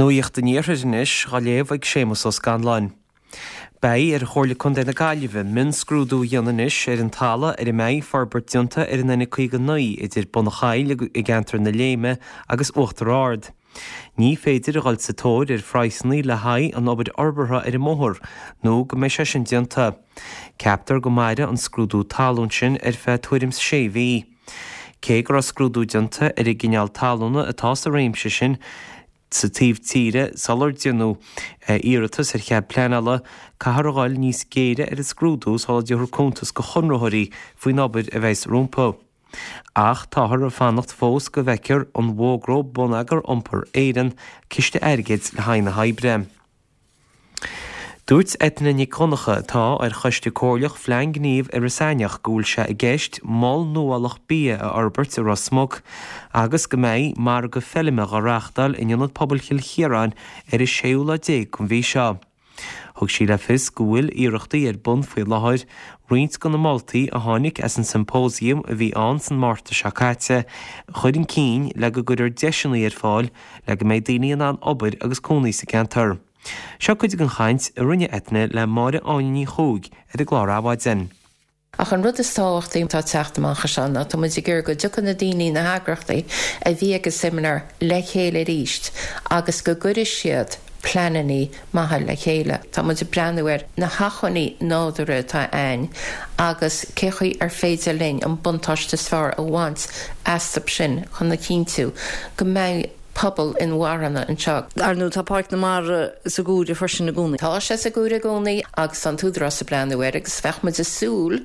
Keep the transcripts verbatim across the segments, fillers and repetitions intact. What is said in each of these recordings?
Nuacht an Iarthair anois á léamh ag Séamus Ó Scanláin. Beidh ar Chomhairle Contae na Gaillimhe mionscrúdú a dhéanamh anois ar an talamh ar a mbeidh forbairt déanta ar an N caoga naoi idir Bun an Choill i gceantar na Léime agus Uachtar Ard. Ní féidir a dhul sa tóir ar phraghsanna le haghaidh an obair fhorbartha ar an mbóthar nó go mbeidh sé sin déanta. Ceaptar go mairfidh an scrúdú talún sin ar feadh tuairim sé mhí. Cé go raibh scrúdú déanta ar an gcineál talúna atá sa réimse sin, sa taobh tíre sular déanadh iarratas ar chead pleanála, caithfear a dhul níos géire ar an scrúdú sula dtabharfar cuntas go chonraitheoirí faoin obair a bheas rompu. Ach táthar ag fanacht fós go bhfeicfear an bhfógróidh Bonneagar Iompair Éireann ciste airgid le haghaidh na hoibre. Dúirt Eithne Nic Dhonncha atá ar choiste comhairleach Phlean Gnímh Iorras Aithneach go bhfuil sé i gceist mol nuálach bia a fhorbairt i Ros Muc agus go mbeidh margadh feilme á reáchtáil in Ionad Pobail Chill Chiaráin ar an séú lá déag den mhí seo. Thug sí le fios go bhfuil iarrachtaí ar bun faoi láthair roinnt de na moltaí a tháinig as an symposium a bhí ann san Márta seo caite a chur chun cinn le go gcuirfear deiseanna ar fáil le go mbeidh daoine in ann obair agus cónaí sa gceantar. Seo cuid den chaint a rinne Eithne le Máire Áine Ní Chuaig ar an gclár Adhmhaidin. Ach an rud is tábhachtaí atá teacht amach seo ná tá muid ag iarraidh go dtiocfaidh na daoine na heagraíochtaí a bhí ag an seimineár le chéile arís agus go gcuirfidh siad pleananna maithe le chéile. Tá muid ag breathnú ar na hacmhainní nádúrtha atá ann agus cé chaoi ar féidir linn an buntáiste is fearr a bhaint astu sin chun a chinntiú go mbeidh pobal inmharthana anseo. Ar ndóigh tá Páirc na Mara sa gcomhaireamh freisin i gcónaí. Tá sé sa gcomhaireamh i gcónaí agus an tÚdarás ag breathnú air agus bheadh muid ag súil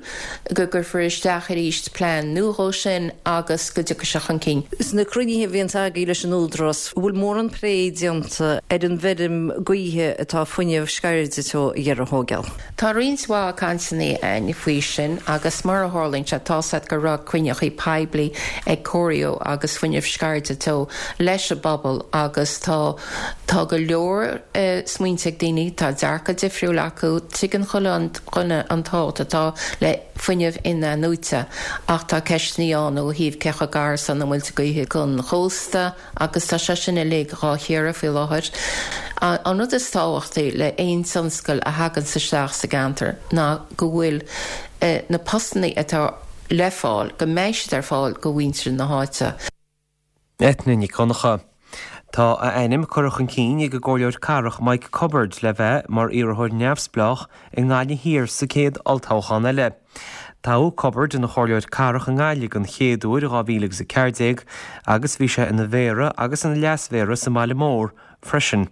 go gcuirfear isteach arís plean nua dhó sin agus go dtiocfaidh sé chun cinn. Sna cruinnithe a bhíonn agaibh leis an Údarás, bhfuil mórán plé déanta ar an bhfeirm gaoithe atá Fuinneamh Sceirde Teo ag iarraidh a thógáil. Tá roinnt mhaith cainteanna ann faoi sin agus mar a tharlaíonn sé tá sé go raibh cruinnithe poiblí ag Corio agus Fuinneamh Sceirde Teo leis an bpobal agus tá tá go leor uh, smaointe ag daoine tá dearcadh difriúil acu tuigeann chuile dhuine an tábhacht atá le fuinneamh in-athnuaite ach tá ceisteanna ann ó thaobh cé chomh gar san na muilte gaoithe don chósta agus tá sé sin uilig á chíoradh faoi láthair. An rud is tábhachtaí le aon tionscal a thagann isteach sa gceantar ná go bhfuil uh, na postanna atá le fáil go mbeidh siad ar fáil do mhuintir na háite. Eithne Nic Dhonncha. Tá a ainm curtha chun cinn ag an gcomhairleoir cathrach Mike Cubbard le bheith mar iarrthóir neamhspleách i nGaillimh Thiar sa chéad olltoghchán eile. Toghadh Cubbard ina chomhairleoir cathrach i nGaillimh den chéad uair dhá mhíle agus a ceathair déag agus bhí sé ina mhéara agus ina leasmhéara sa mbaile mór freisin.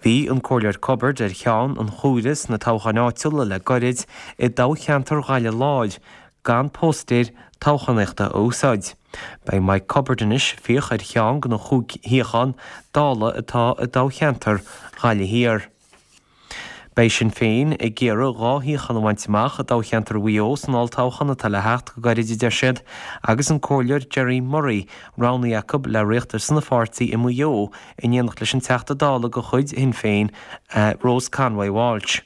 Bhí an comhairleoir Cubbard ar cheann an chomhairimh sna toghcháin áitiúla le gairid i dtoghcheantar Ghaillimh Láir gan póstaeir toghchánaíochta a úsáid. Beidh Mike Cubbard anois ag fiach ar cheann de na chúig shuíochán Dála atá i dtoghcheantar Ghaillimh Thiar. Beidh Sinn Féin ag iarraidh dhá shuíochán a bhaint amach i dtoghcheantar Mhaigh Eo san olltoghchán atá le theacht go gairid a deir siad, agus an comhairleoir Gerry Murray roghnaithe acu le ritheacht ar son an pháirtí i Maigh Eo in éineacht leis an Teachta Dála de chuid Shinn Féin, Rose Conway Walsh.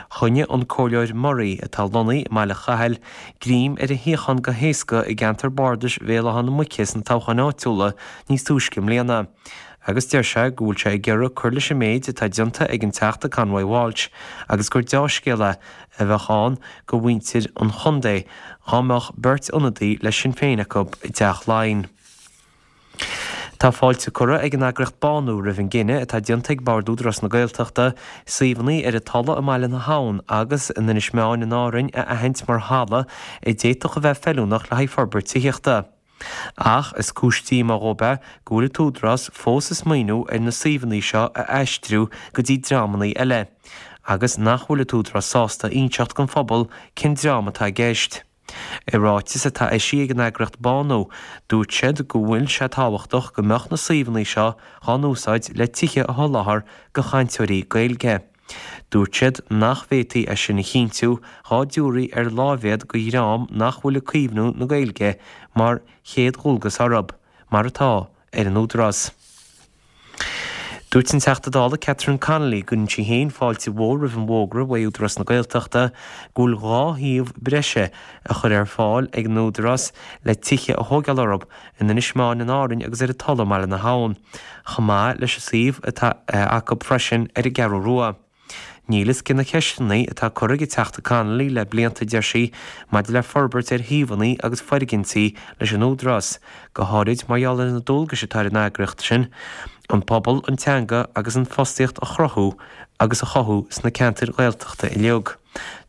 Choinnigh an Comhairleoir Murray, atá lonnaithe i mBaile Chathail, greim ar a shuíochán go héasca i gceantar bardais Bhéal Átha na Muice sna toghcháin áitiúla níos túisce i mbliana, agus deir sé go bhfuil sé ag iarraidh cur leis an méid atá déanta ag an Teachta Conway Walsh agus gur dea-scéal é a bheadh ann do mhuintir an chontae dá mbeadh beirt ionadaí le Sinn Féin acu i dTeach Laighean. Tá fáilte curtha ag an eagraíocht Bánú roimh an gcinneadh atá déanta ag Bord Údarás na Gaeltachta suíomhanna ar an Tulaigh i mBaile na hAbhann agus in Inis Meáin in Árainn a aithint mar thalamh a d'fhéadfadh a bheith feiliúnach le haghaidh forbairt tithíochta. Ach is cúis díomá dhóibh é go bhfuil an tÚdarás fós ag smaoineamh ar na suíomhanna seo a aistriú go dtí dreamanna eile, agus nach bhfuil an tÚdarás sásta inseacht don phobal cén dream atá i gceist. I ráiteas atá eisithe ag an eagraíocht Bánú, dúirt siad go bhfuil sé tábhachtach go mbeadh na suíomhanna seo dhá n-úsáid le tithe a sholáthar do chainteoirí Gaeilge. Dúirt siad nach bhféadfaí é sin a chinntiú dhá dtabharfaí ar láimhéad do dhream nach bhfuil ag caomhnú na Gaeilge mar chéad dhualgas orthu, mar atá ar an Údarás. Dúirt an Teachta Dála Catherine Connolly go gcuireann sí féin fáilte mhór roimh an bhfógra ó Údarás na Gaeltachta go bhfuil dhá shuíomh breise a chur ar fáil ag an Údarás le tithe a thógáil orthu in Inis Meáin in Árainn agus ar an Tulaigh i mBaile na hAbhann, chomh maith leis an suíomh atá acu freisin ar an gCeathrú Rua. Níl fhios cé na ceisteanna atá curtha ag an Teachta Connolly le blianta deir sí maidir le forbairt ar shuíomhanna agus foirgintí leis an Údarás, go háirid mar gheall ar na dualgais atá ar an eagraíocht sin, an pobal, an teanga agus an fostaíocht a chruthú agus a chothú sna ceantair Ghaeltachta uilig.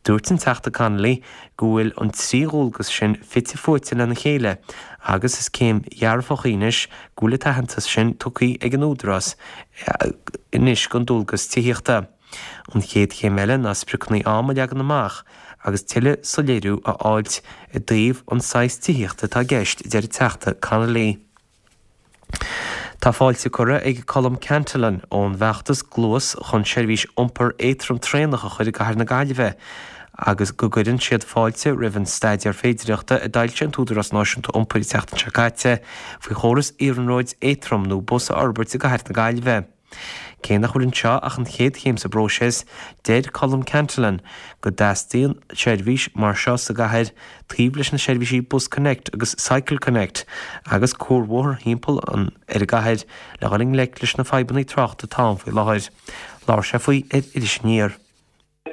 Dúirt an Teachta Connolly go bhfuil an trí dhualgas sin fite fuaite lena chéile agus is céim dhearfach í anois go bhfuil an t-aitheantas sin tugtha ag an Údarás anois don dualgas tithíochta. An chéad chéim eile ná spriocanna ama a leagan amach agus tuilleadh soiléiriú a fháilt i dtaobh an saghas tithíochta atá i gceist, deir an Teachta Connolly. Tá fáilte curtha ag Colm Cantillon ón bhfeachtas Gluas chun seirbhís iompar éadrom traenach a chur i gcathair na Gaillimhe agus go gcuireann siad fáilte roimh an staidéar féidireachta a d'fhoilsigh an tÚdarás Náisiúnta Iompair an tseachtain seo caite faoi chóras iarnróid éadrom nó bus a fhorbairt i gcathair na Gaillimhe. Cé nach bhfuil anseo ach an chéad chéim sa bpróiseas, deir Colm Cantillon go dteastaíonn seirbhís mar seo sa gcathair taobh leis na seirbhísí Bus Connect agus Cycle Connect agus cuarbhóthar thimpeall an ar an gcathair le dhul i ngleic leis na fadhbanna tráchta atá ann faoi láthair. Labhair sé faoi ar Iris Aniar.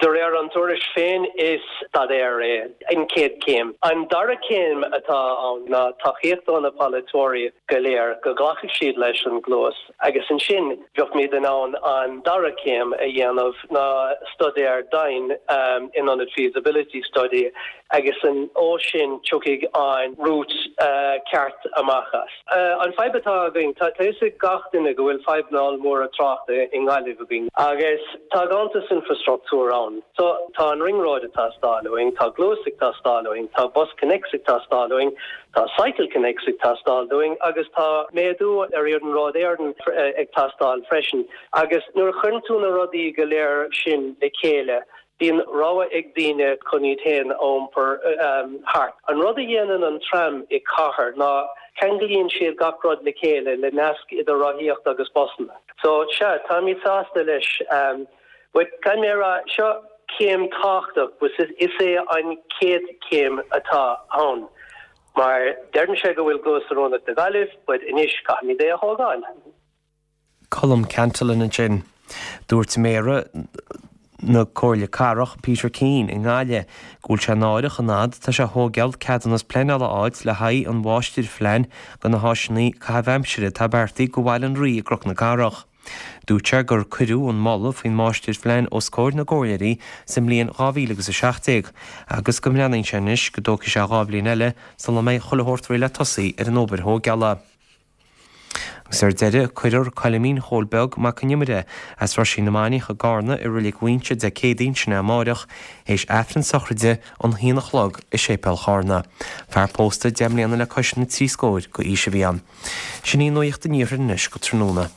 De réir an tuairisc féin is staidéar é an chéad chéim. An dara céim atá ann ná tacaíocht ó na polaiteoirí go léir go nglacfaidh siad leis an gluas agus ansin bheimid in ann an dara céim a dhéanamh ná staidéar domhain um, in ionad feasibility study agus an ó sin tiocfaidh an route uh, ceart amach as. Uh, an fadhb atá againn tá ag gach duine go bhfuil fadhbanna móra tráchta i nGaillimh againn agus tá ganntanas infrastruchtúr ann. So tá an ring road ag teastáil uainn, tá Gluas ag teastáil uainn, tá Bus Connects ag teastáil uainn, tá Cycle Connects ag teastáil uainn, agus tá méadú ar Iarnród Éireann ag teastáil freisin. Agus nuair a chuireann tú na rudaí go léir sin le chéile, bíonn rogha ag daoine chun iad féin a iompar um, thart. An rud a dhéanann an tram i cathair ná ceanglaíonn siad gach rud le chéile le nasc idir rothaíocht agus busanna. So sea táimid sásta leis um, but gan mé rá seo céim tábhachtach was is é an chéad chéim atá ann. Mar deireann sé go bhfuil Gluas oiriúnach do Ghaillimh, but anois caithfimid é a thógáil. Colm Cantillon ansin. Dúirt Méara na Comhairle Cathrach Peter Keane i nGaillimh go bhfuil sé náireach an fhad tá sé thógáil ceadúnas pleanála a fháil le haghaidh an mháistirphlean do na háiseanna caitheamh aimsire atá beartaithe do Bhaile an Rí i gCnoc na Cathrach. Dúirt sé gur cuireadh an moladh faoin máistirphlean os comhair na gcomhairleoirí sa mbliain dhá mhíle agus a seacht déag agus go mbreathnaíonn sé anois go dtógfaidh sé dhá bhliain eile sula mbeidh chuile shórt réidh le tosaí ar an obair thógála. Agus ar deireadh cuirfear Coilimín Chóil Beag Mac Con Iomaire as Roisín na Mainiach i gCarna i Reilig Mhuighinse Dé Céadaoin sin amárach théis Aifreann sochraide an haon a chlog i Séipéal Charna. Fear pósta deich mbliana le cois na trí scóir d'aois a bhí ann. Sin í nuacht an iarthair anois go tráthnóna.